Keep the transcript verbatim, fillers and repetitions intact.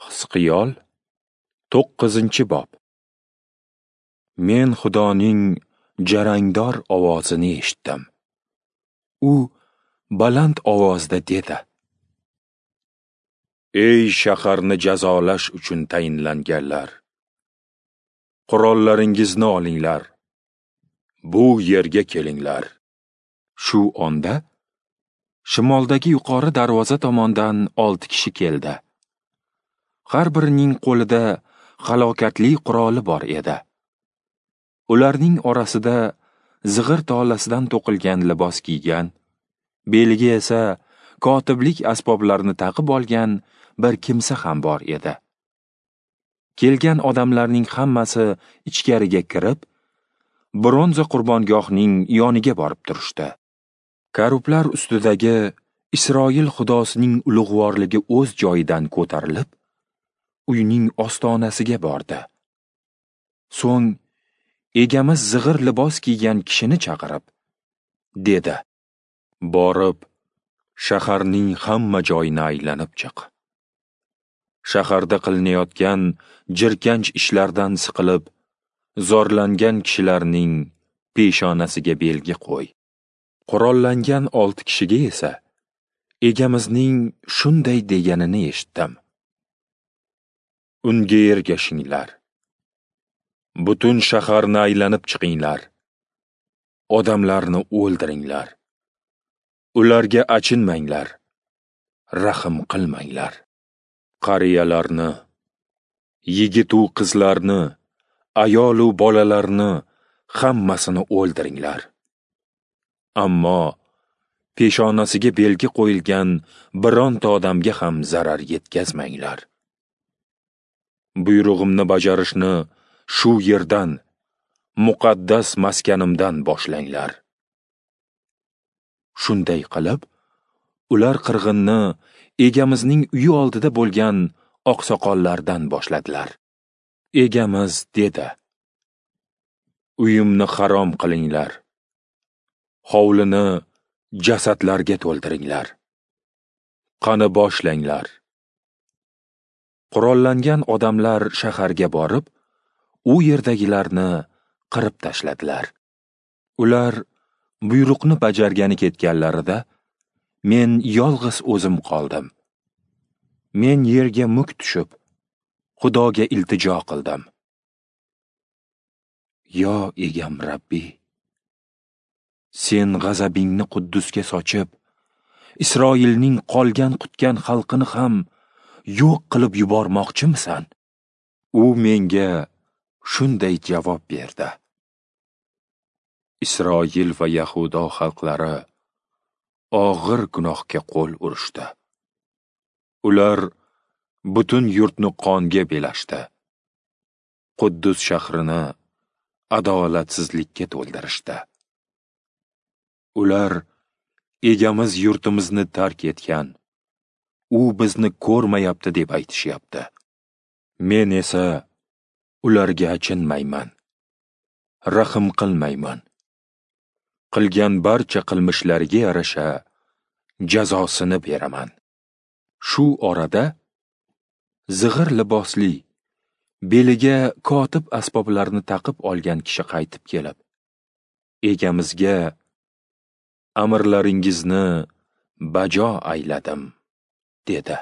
Hizqiyol to'qqizinchi bob. Men Xudoning jarangdor ovozini eshitdim. U baland ovozda dedi: Ey shaharni jazolash uchun tayinlanganlar, qurollaringizni olinglar, bu yerga kelinglar. Shu onda shimoldagi yuqori darvoza tomondan olti kishi keldi. Har birining qo'lida halokatli quroli bor edi. Ularning orasida zig'ir tolasidan to'qilgan libos kiygan, beliga esa kotiblik asboblarini taqib olgan bir kimsa ham bor edi. Kelgan odamlarning hammasi ichkariga kirib, bronza qurbongohning yoniga borib turishdi. Karublar ustidagi Isroil xudosining ulug'vorligi o'z joyidan ko'tarilib, uyning ostonasiga bordi. So'ng egamiz zig'ir libos kiygan kishini chaqirib, dedi: Borib, shaharning hamma joyini aylanib chiq. Shaharda qilinayotgan jirkanch ishlardan siqilib, zorlangan kishilarning peshonasiga belgi qo'y. Qurollangan olti kishiga esa egamizning shunday deganini eshitdim: Unga ergashinglar. Butun shaharni aylanib chiqinglar. Odamlarni o'ldiringlar. Ularga achinmanglar, rahm qilmanglar. Qariyalarni, yigit u qizlarni, ayol u bolalarni hammasini o'ldiringlar. Ammo peshonasiga belgi qo'yilgan bironta odamga ham zarar yetkazmanglar. Buyrug'imni bajarishni shu yerdan, muqaddas maskanimdan boshlanglar. Shunday qilib, ular qirg'inni egamizning uyi oldida bo'lgan oqsoqollardan boshladilar. Egamiz dedi: Uyimni harom qilinglar. Hovlini jasadlarga to'ldiringlar. Qani boshlanglar. Qurollangan odamlar shaharga borib, u yerdagilarni qirib tashladilar. Ular buyruqni bajargani ketganlarida men yolg'iz o'zim qoldim. Men yerga muk tushib, Xudoga iltijo qildim. Yo egam Rabbi, sen g'azabingni Quddusga sochib, Isroilning qolgan qutgan xalqini ham yo'q qilib yubormoqchimisan? U menga shunday javob berdi: Isroil va Yahudo xalqlari og'ir gunohga qo'l urishdi. Ular butun yurtni qonga belashdi. Quddus shahrini adolatsizlikka to'ldirishdi. Ular egamiz yurtimizni tark etgan, u bizni ko'rmayapti deb aytishyapti. Men esa ularga achinmayman, rahm qilmayman. Qilgan barcha qilmishlariga yarasha jazosini beraman. Shu orada zig'ir libosli, beliga kotib asboblarini taqib olgan kishi qaytib kelib, egamizga: Amrlaringizni bajo ayladim, dedi.